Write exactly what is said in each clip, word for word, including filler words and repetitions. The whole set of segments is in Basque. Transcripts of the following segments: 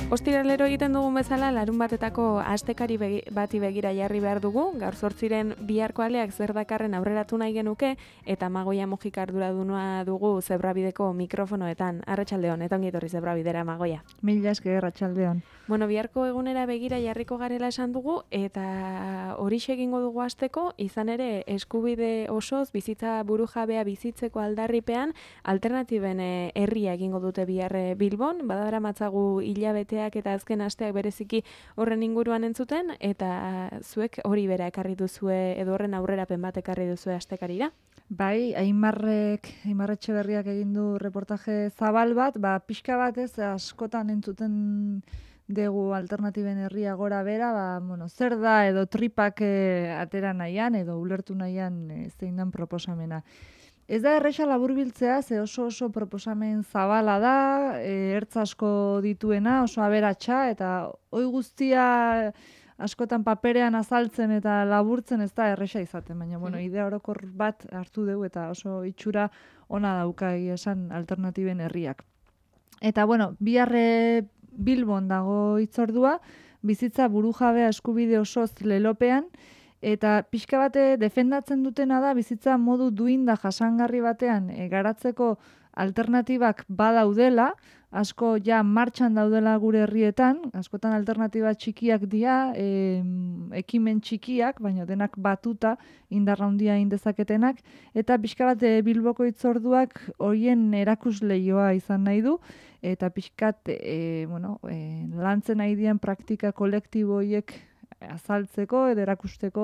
Ostiralero egiten dugun bezala, larun batetako astekari begi, bati begira jarri behar dugu, gaur zortziren biharko aleak zer dakarren aurreratu nahi genuke, eta Magoia Mujika arduraduna dugu Zebrabideko mikrofonoetan. Arratsaldeon, eta ongi etorri Zebrabidera, Magoia. Mila esker, arratsaldeon. Bueno, biharko egunera begira jarriko garela esan dugu, eta horixe egingo dugu hasteko, izan ere eskubide osoz bizitza burujabea bizitzeko aldarripean, alternatiben eh, herria egingo dute bihar eh, Bilbon, badara matzagu hilabeteak eta azken asteak bereziki horren inguruan entzuten, eta zuek hori bera ekarri duzue, edo horren aurrerapen bat ekarri duzue astekarira. Bai, Aimarrek, Aimar Etxeberriak egin du reportaje zabal bat, ba, pixka bat ez, askotan entzuten dugu alternatiben herria gora bera, ba, bueno, zer da edo tripak eh, atera nahian, edo ulertu nahian eh, zein dan proposamena. Ez da erresa laburbiltzea, ze oso oso proposamen zabala da, e, ertz asko dituena, oso aberatsa, eta hoi guztia askotan paperean azaltzen eta laburtzen ez da erresa izaten, baina bueno, idea orokor bat hartu dugu eta oso itxura ona dauka egia esan alternatiben herriak. Eta bueno, biharre Bilbon dago hitzordua, bizitza burujabea eskubide osoz lelopean, eta pixka bate defendatzen dutena da bizitza modu duinda jasangarri batean e, garatzeko alternatibak badaudela, asko ja martxan daudela gure herrietan, askotan alternatiba txikiak dira, e, ekimen txikiak, baina denak batuta indarra handia indezaketenak, eta pixka bat e, Bilboko hitzorduak horien erakusleioa izan nahi du, eta pixkat e, bueno, e, lantzen nahi dien praktika kolektibo horiek azaltzeko edo erakusteko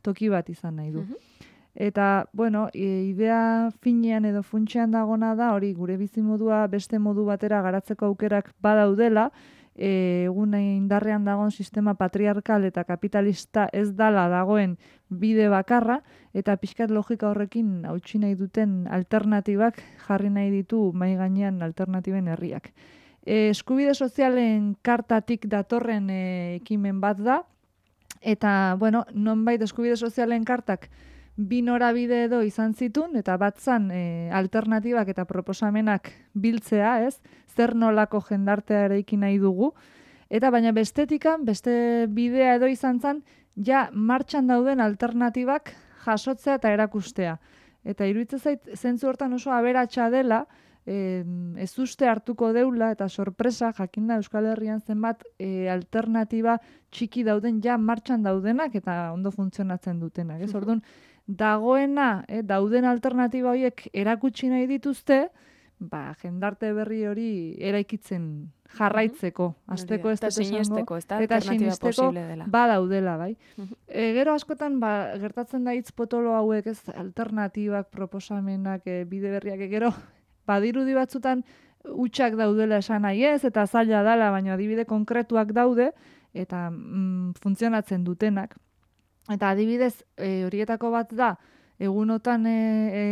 toki bat izan nahi du. Uh-huh. Eta, bueno, idea finean edo funtsean dagona da, hori gure bizimodua beste modu batera garatzeko aukerak badaudela, egun indarrean dagoen sistema patriarkal eta kapitalista ez dala dagoen bide bakarra, eta pixkat logika horrekin hautsi nahi duten alternatibak jarri nahi ditu mahai gainean alternatiben herriak. E, eskubide sozialen kartatik datorren e, ekimen bat da, eta, bueno, nonbait eskubide sozialen kartak bi norabide edo izan zitun, eta bat zan e, alternatibak eta proposamenak biltzea, ez? Zer nolako jendartea eraiki nahi dugu. Eta baina bestetikan, beste bidea edo izan zan, ja martxan dauden alternatibak jasotzea eta erakustea. Eta iruditzen zait, zentzu hortan oso aberatsa dela, E, ez uste hartuko deula eta sorpresa jakinda Euskal Herrian zenbat e, alternatiba txiki dauden ja martxan daudenak eta ondo funtzionatzen dutenak. Ez orduan, dagoena, eh, dauden alternatiba horiek erakutsi nahi dituzte, ba, jendarte berri hori eraikitzen jarraitzeko, azteko ez dut esango, eta sinesteko badaudela, bai. E, gero askotan, ba, gertatzen da hitz potolo hauek, ez, alternatibak, proposamenak, e, bide berriak, gero, badirudi batzutan hutsak daudela esan nahi ez, eta zaila dela, baina adibide konkretuak daude, eta mm, funtzionatzen dutenak. Eta adibidez, e, horietako bat da, egunotan, e, e,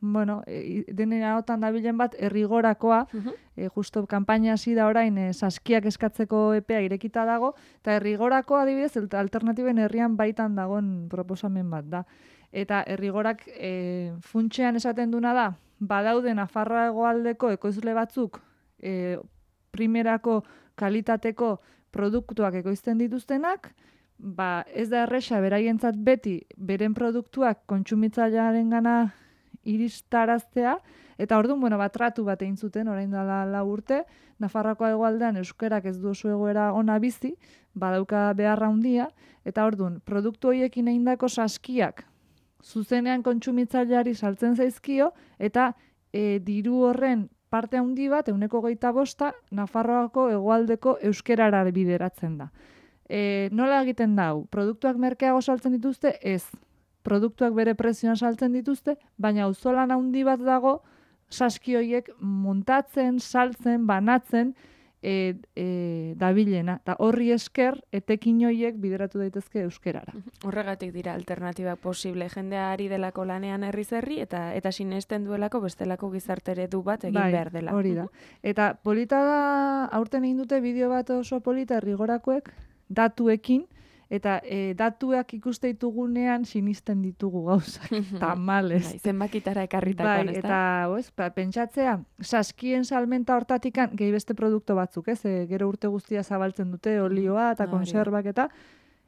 bueno, e, denera otan dabilen bat, errigorakoa, uh-huh. e, justo kanpaina hasi da orain, e, saskiak eskatzeko epea irekita dago, eta errigorakoa adibidez, alternatiben herrian baitan dagoen proposamen bat da. Eta errigorak e, funtsean esaten duna da, badaude Nafarroa hegoaldeko ekoizle batzuk e, primerako kalitateko produktuak ekoizten dituztenak, ba ez da erresa beraientzat beti beren produktuak kontsumitzailearengana iristaraztea, eta orduan, bueno, bat tratu bat egin zuten, orain dela lau urte, Nafarroako hegoaldean euskerak ez du oso egoera ona bizi, badauka beharra handia, eta orduan, produktu horiekin egindako saskiak zuzenean kontsumitzaileari saltzen zaizkio, eta e, diru horren parte handi bat, ehuneko hogeita bosta, Nafarroako hegoaldeko euskerara bideratzen da. E, nola egiten da hau? Produktuak merkeago saltzen dituzte? Ez. Produktuak bere prezioan saltzen dituzte, baina auzolan handi bat dago, saski horiek montatzen, saltzen, banatzen, E, e, dabilena, eta horri esker etekin horiek bideratu daitezke euskerara. Horregatik dira alternatibak posible, jendea ari delako lanean herriz herri eta eta sinesten duelako bestelako gizartere du bat egin bai, behar dela. Hori da. Eta polita da, aurten egin dute bideo bat oso polita errigorakoek, datuekin, eta e, datuak ikuste ditugunean sinisten ditugu gauzak, tamales. Bai, zenbakitara ekarritakoan, bai, ez da? eta oez, ba, pentsatzea, saskien salmenta hortatikan, gehi beste produktu batzuk, ez? E, gero urte guztia zabaltzen dute, olioa eta Hori da. konserbak eta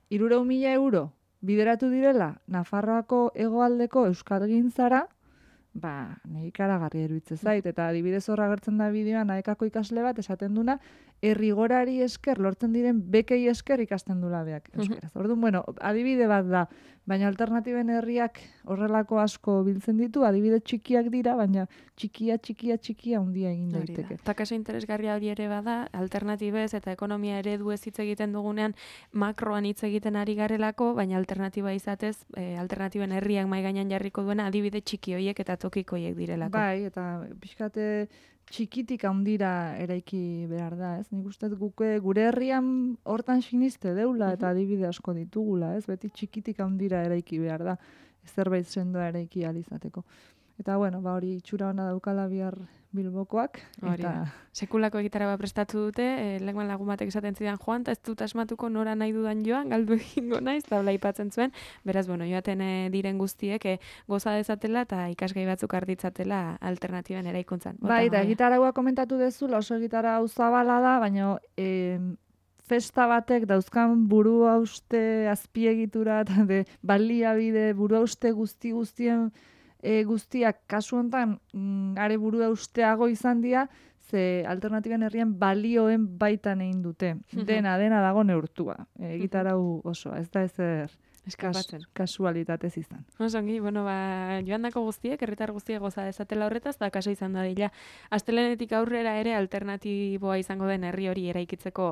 hirurehun mila euro bideratu direla Nafarroako hegoaldeko euskalgintzara, ba, nahi ikaragarri eruditzen zait, eta adibidez horra agertzen da bideoan aekako ikasle bat esaten duna, errigorari esker lortzen diren bekei esker ikasten dula beak euskeraz. Orduan, bueno, adibide bat da, baina alternatiben herriak horrelako asko biltzen ditu, adibide txikiak dira, baina txikia, txikia, txikia handia egin daiteke. Eta kaso interesgarria hori ere bada, alternatibez eta ekonomia eredu ez hitz egiten dugunean makroan hitz egiten ari garelako, baina alternatiba izatez, e, alternatiben herriak mai gainean jarriko duena adibide txiki hoiek eta tokiko hoiek direlako. Bai, eta pixkate txikitik handira eraiki behar da, ez? Nik uste guke gure herrian hortan siniste deula eta adibide asko ditugula, ez? Beti txikitik handira eraiki behar da, zerbait sendoa eraiki ahal izateko. Eta bueno, ba hori itxura ona daukala bihar Bilbokoak. Hori Eta da. Sekulako egitara bat prestatu dute, e, lehenkoan lagun batek esaten zidan joan, eta ez dut asmatuko nora nahi dudan joan, galdu egingo naiz, eta hola aipatzen zuen, beraz, bueno, joaten e, diren guztiek e, goza dezatela eta ikasgai batzuk arditzatela alternatiben eraikuntzan. bai, eta egitaragoa komentatu dezula, oso egitara hau zabala da, baina e, festa batek dauzkan burua uste azpiegitura eta de baliabide burua uste guzti guztien E, guztiak kasu hontan mm, are burua usteago izan dira, ze alternatiben herrian balioen baitan egin dute. Dena, dena dago neurtua. E, egitarau osoa, ez da ezer eskapatzen. Kasualitatez izan. Osongi, bueno, ba, joandako guztiek, herritar guztiek goza dezatela horretaz, da kaso izan da dila. Astelenetik aurrera ere alternatiboa izango den herri hori eraikitzeko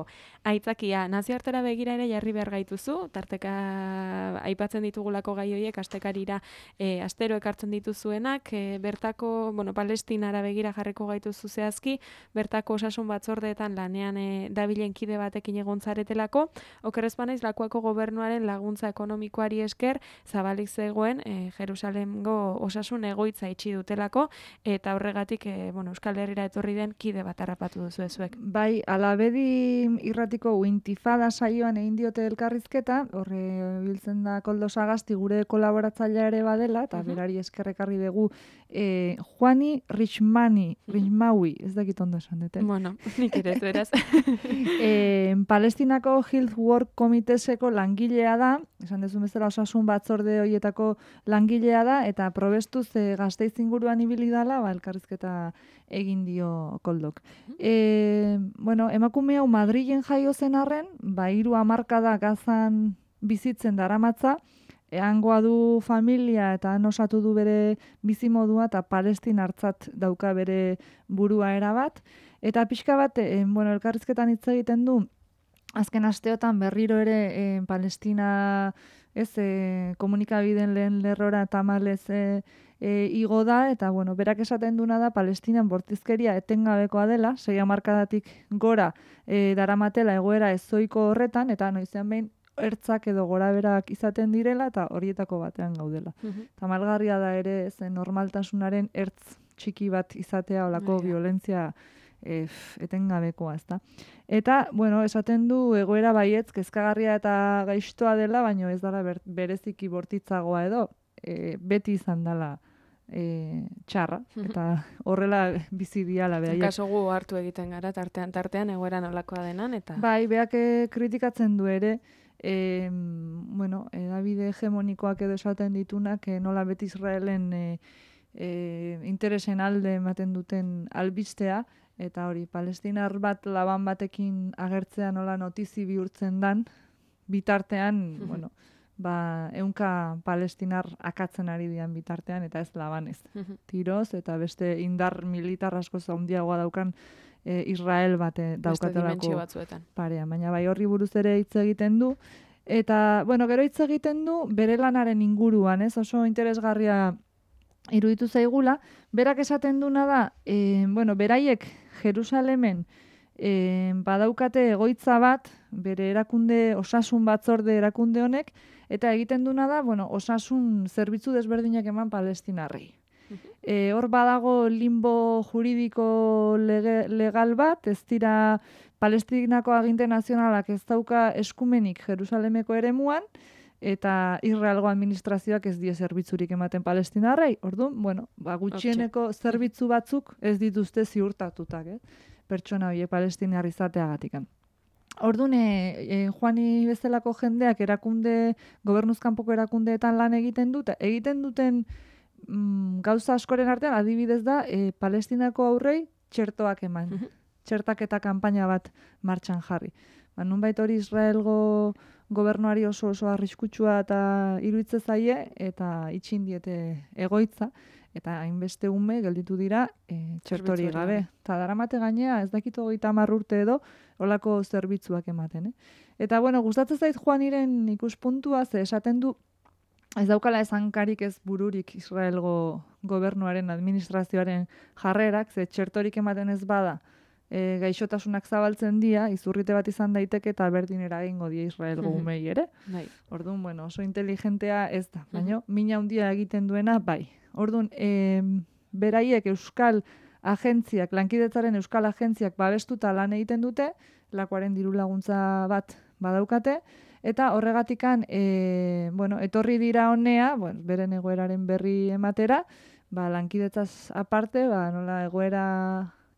aitzakia. Nazioartera begira ere jarri behar gaituzu, tarteka aipatzen ditugulako gai horiek astekarira e, astero ekartzen dituzuenak, e, bertako, bueno, Palestinara begira jarriko gaituzu zehazki, bertako osasun batzordeetan lanean e, dabilen kide batekin egontzaretelako, okerrezpanaiz lakuako gobernuaren laguntza ekonomikoari esker zabalik zegoen e, Jerusalemgo osasun egoitza itxi dutelako, eta horregatik e, bueno, Euskal Herrira etorri den kide bat harrapatu duzu ezuek. Bai, Alabedi irratiko Intifada saioan egin diote elkarrizketa, horre biltzen da Koldo Sagasti gure kolaboratzailea ere badela, eta uh-huh. berari eskerrekarri dugu e, Juani Richmani, Richmaui, ez dakit ondo esan dute. Bueno, nik ere ez beraz. e, Palestinako Health Work Komiteseko langilea da, esan dezu bezala osasun batzorde horietako langilea da, eta probestuz e, Gasteiz inguruan ibili dala, ba, elkarrizketa egin dio Koldok. E, bueno, emakume hau Madrilen jaio zen arren, ba, hiru hamarkada Gazan bizitzen daramatza, hangoa du familia eta han osatu du bere bizimodua eta palestinartzat dauka bere burua erabat. Eta pixka bat, e, bueno, elkarrizketan hitz egiten du, azken asteotan berriro ere e, Palestina ez e, komunikabideen lehen lerrora tamalez e, e, igo da, eta bueno, berak esaten duna da Palestinan bortizkeria etengabekoa dela, sei hamarkadatik gora e, daramatela egoera ezoiko horretan, eta noizean behin ertzak edo goraberak izaten direla, eta horietako batean gaudela. Uh-huh. Tamalgarria da ere zen normaltasunaren ertz txiki bat izatea olako yeah. violentzia E, etengabekoa, ezta. Eta, bueno, esaten du egoera baietz kezkagarria eta gaiztoa dela, baina ez dela ber, bereziki bortitzagoa edo, e, beti izan dela e, txarra, eta horrela bizi diala behaiek. Kaso gu hartu egiten gara, tartean, tartean, egoera nolakoa denan, eta... Bai, beak kritikatzen du ere, e, bueno, edabide hegemonikoak edo esaten ditunak, e, nola beti Israelen e, e, interesen alde ematen duten albistea, eta hori, palestinar bat laban batekin agertzea nola notizi bihurtzen dan, bitartean, bueno, ba, ehunka palestinar akatzen ari dian bitartean, eta ez labanez. Tiroz, eta beste indar militar asko handiagoa daukan e, Israel bate daukatelako parean. Baina bai horri buruz ere hitz egiten du, eta, bueno, gero hitz egiten du bere lanaren inguruan, ez? Oso interesgarria iruditu zaigula, berak esaten duna da, e, bueno, beraiek Jerusalemen e, badaukate egoitza bat, bere erakunde, osasun batzorde erakunde honek, eta egiten duna da, bueno, osasun zerbitzu desberdinak eman palestinarrei. E, hor badago limbo juridiko lege, legal bat, ez dira Palestinako aginte nazionalak ez dauka eskumenik Jerusalemeko eremuan, eta Israelgo administrazioak ez die zerbitzurik ematen palestinarrei. Orduan, bueno, ba, gutxieneko zerbitzu batzuk ez dituzte ziurtatutak, eh? Pertsona horiek palestinar izateagatik. Orduan, e, e, Juani bezalako jendeak erakunde, gobernuzkanpoko erakundeetan lan egiten dute, egiten duten mm, gauza askoren artean, adibidez da, e, Palestinako aurrei txertoak eman. Uh-huh. Txertaketa kanpaina bat martxan jarri. Ba, nunbait hori Israelgo gobernuari oso oso arriskutsua eta iruditzen zaie, eta itxin diete egoitza, eta hainbeste ume gelditu dira e, txertori gabe. Eta daramate gainea, ez dakit hogeita hamar urte edo, olako zerbitzuak ematen. Eh? Eta, bueno, gustatzen zait Juaniren ikuspuntua, ze esaten du, ez daukala esankarik ez bururik Israelgo gobernuaren, administrazioaren jarrerak, ze txertorik ematen ez bada, e, gaixotasunak zabaltzen dira, izurrite bat izan daiteke eta berdin eragingo die Israelgo umei ere. Bai. Orduan, bueno, oso inteligentea ez da, baina mina handia egiten duena, bai. Orduan, e, beraiek euskal agentziak, lankidetzaren euskal agentziak babestuta lan egiten dute, lakoaren diru laguntza bat badaukate, eta horregatikan, e, bueno, etorri dira honea, bueno, beren egoeraren berri ematera, ba, lankidetzaz aparte, ba, nola egoera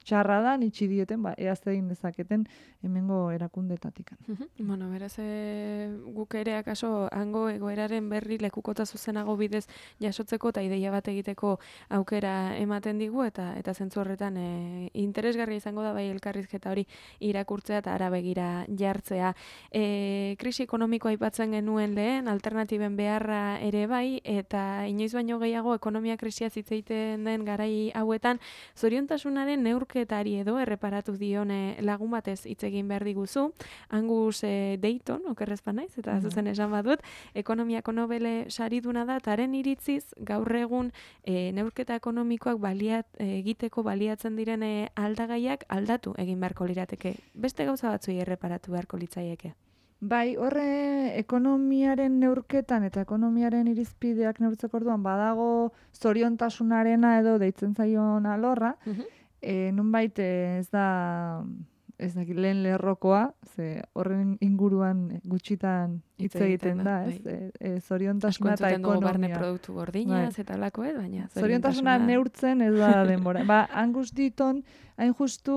txarra da, nitsi dieten, ba, eaz egin dezaketen hemengo erakundetatik. Bueno, beraz, e, guk ere akaso hango egoeraren berri lekukota zuzenago bidez jasotzeko eta ideia bat egiteko aukera ematen digu, eta eta zentzu horretan e, interesgarria izango da bai elkarrizketa hori irakurtzea eta ara begira jartzea. E, krisi ekonomikoa aipatzen genuen lehen, alternatiben beharra ere bai, eta inoiz baino gehiago ekonomia krisia hitz egiten den garai hauetan, zoriontasunaren neurketari edo erreparatu dione lagun batez hitz egin behar diguzu. Angus e, Dayton, okerrez naiz, eta zuzen esan badut, ekonomiako Nobel sariduna da, eta haren iritziz gaur egun e, neurketa ekonomikoak baliat, e, egiteko baliatzen diren e, aldagaiak aldatu egin beharko lirateke. Beste gauza batzuei erreparatu beharko litzaieke. Bai, horre ekonomiaren neurketan eta ekonomiaren irizpideak neurtzeko orduan badago zoriontasunarena edo deitzen zaion alorra, uh-huh. e, nunbait ez da ez da lehen lerrokoa, ze horren inguruan gutxitan hitz egiten da, ez? E, e, zoriontasuna eta ekonomia. Barne produktu gordinaz bai. Eta lako, ez? Baina zoriontasuna neurtzen ez da denbora. Ba, Angus Deaton, hain justu,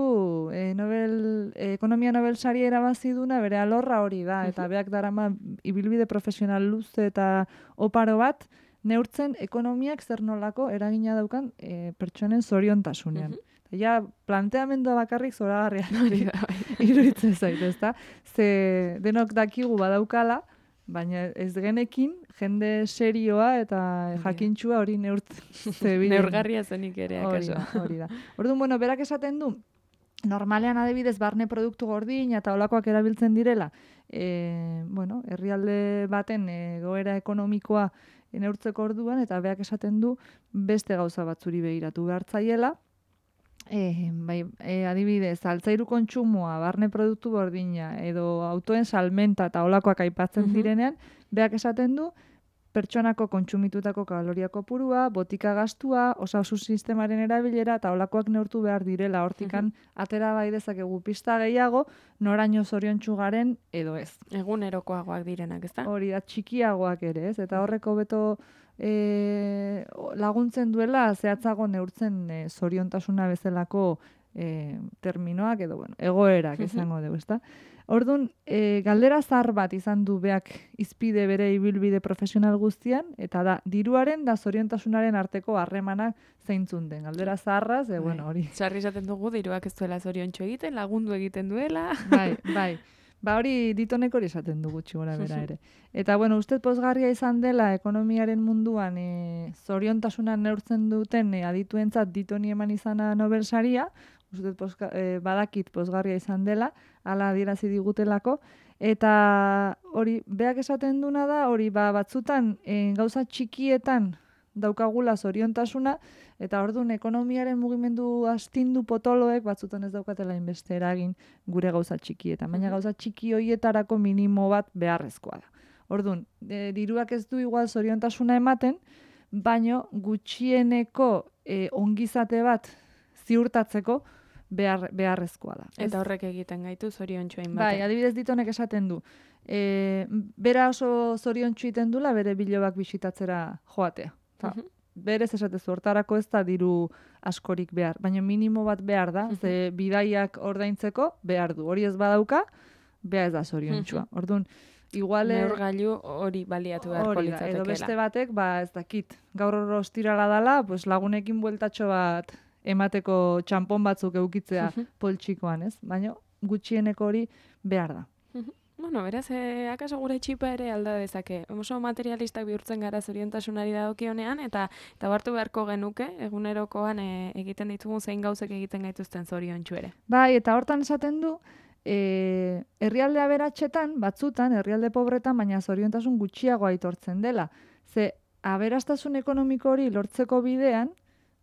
e, Nobel, e, ekonomia Nobel sari erabaziduna, bere alorra hori da, eta beak darama ibilbide profesional luze eta oparo bat, neurtzen ekonomiak zer nolako eragina daukan e, pertsonen zoriontasunean. Uh-huh. Ja, planteamendua bakarrik zoragarria iruditzen zait, ezta? Ze denok dakigu badaukala, baina ez genekin jende serioa eta jakintxua hori neurtzen. Neurgarria zenik ere, akaso. Hori da. Orduan, bueno, berak esaten du, normalean adibidez barne produktu gordin eta olakoak erabiltzen direla, e, bueno, herrialde baten egoera ekonomikoa neurtzeko orduan, eta berak esaten du beste gauza batzuri begiratu behartzaiela. E, bai, e, adibidez, altzairu kontsumoa, barne produktu gordina, edo autoen salmenta eta olakoak aipatzen uh-huh. direnean, beak esaten du, pertsonako kontsumitutako kaloria kopurua, botika gastua, osasun sistemaren erabilera eta olakoak neurtu behar direla, hortikan uh-huh. atera bai dezakegu pista gehiago, noraino zoriontsu garen edo ez. Egunerokoagoak direnak, ezta? Hori da, txikiagoak ere, ez? Eta horreko beto E, laguntzen duela zehatzago neurtzen e, zoriontasuna bezalako e, terminoak edo bueno, egoerak izango dugu, ezta? Orduan, e, galdera zahar bat izan du beak izpide bere ibilbide profesional guztian, eta da, diruaren da zoriontasunaren arteko harremanak zeintzun den. Galdera zaharraz, e, bueno, hori. Sarri esaten dugu, diruak ez duela zoriontxo egiten, lagundu egiten duela. Bai, bai. Ba hori Ditonek hori esaten dugu txigora bera ere. Eta bueno, uste pozgarria izan dela ekonomiaren munduan e, zoriontasunan neurtzen duten e, adituentzat Ditoni eman izana Nobel saria, uste pozga, e, badakit pozgarria izan dela, hala adierazi digutelako, eta hori beak esaten duna da, hori ba, batzutan e, gauza txikietan daukagula zoriontasuna, eta orduan ekonomiaren mugimendu astindu potoloek batzutan ez daukatela inbeste eragin gure gauza txikietan. Baina gauza txiki hoietarako minimo bat beharrezkoa da. Orduan, e, diruak ez du igual zoriontasuna ematen, baino gutxieneko e, ongizate bat ziurtatzeko behar, beharrezkoa da. Eta horrek egiten gaitu zoriontsu hainbat. Bai, adibidez ditonek esaten du. E, bera oso zoriontsu egiten dula bere bilobak bisitatzera joatea. Ta, Mhm. berez esatezu, hortarako ez da diru askorik behar, baina minimo bat behar da, ze bidaiak ordaintzeko behar du. Hori ez badauka, behar ez da zoriontsua. Orduan, igual... Neurgailu hori baliatu beharko hori da, edo litzatekeela. beste batek, ba ez dakit, gaur hor ostirala dala, pues lagunekin bueltatxo bat emateko txanpon batzuk eukitzea poltsikoan, ez? Baina gutxieneko hori behar da. Bueno, beraz, eh, akaso gure txipa ere alda dezake. Oso materialistak bihurtzen gara zoriontasunari dagokionean, eta eta hartu beharko genuke, egunerokoan eh, egiten ditugun zein gauzek egiten gaituzten zoriontsu ere. Bai, eta hortan esaten du, e, herrialde aberatsetan, batzutan, herrialde pobretan, baina zoriontasun gutxiago aitortzen dela. Ze, aberastasun ekonomiko hori lortzeko bidean,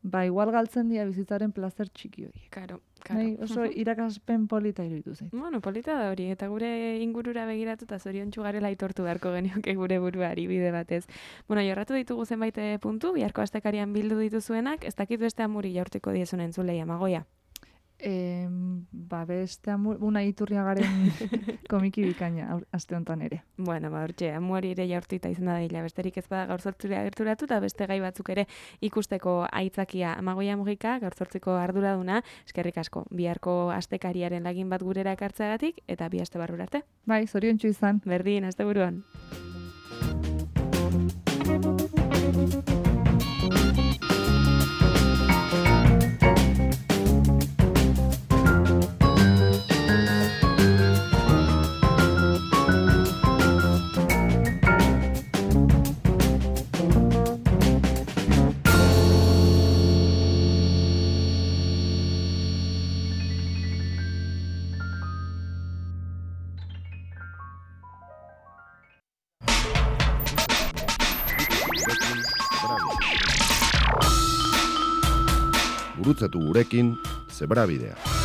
ba, igual galtzen dira bizitzaren plazer txiki horiek. Karo, karo. Nahi, oso irakaspen polita iruditu zait. Bueno, polita da hori, eta gure ingurura begiratu eta zoriontsu garela aitortu beharko genioke gure buruari bide batez. Bueno, jorratu ditugu zenbait puntu, biharko astekarian bildu dituzuenak, ez dakit beste amuri jaurtiko diezun entzulei, Amagoia. E, ba, beste amur, una iturriagaren komiki bikaina aste honetan ere. Bueno, ba, hortxe, amuari ere jaurtita izan da dela, besterik ez bada gaur zortzura gerturatu, eta beste gai batzuk ere ikusteko aitzakia. Amagoia Mugika, gaur zortziko arduraduna, eskerrik asko, biharko astekariaren lagin bat gurera ekartzeagatik, eta bi aste barrura arte. Bai, zoriontsu izan. Berdin, asteburuan. Gurutzatu gurekin Zebrabidea.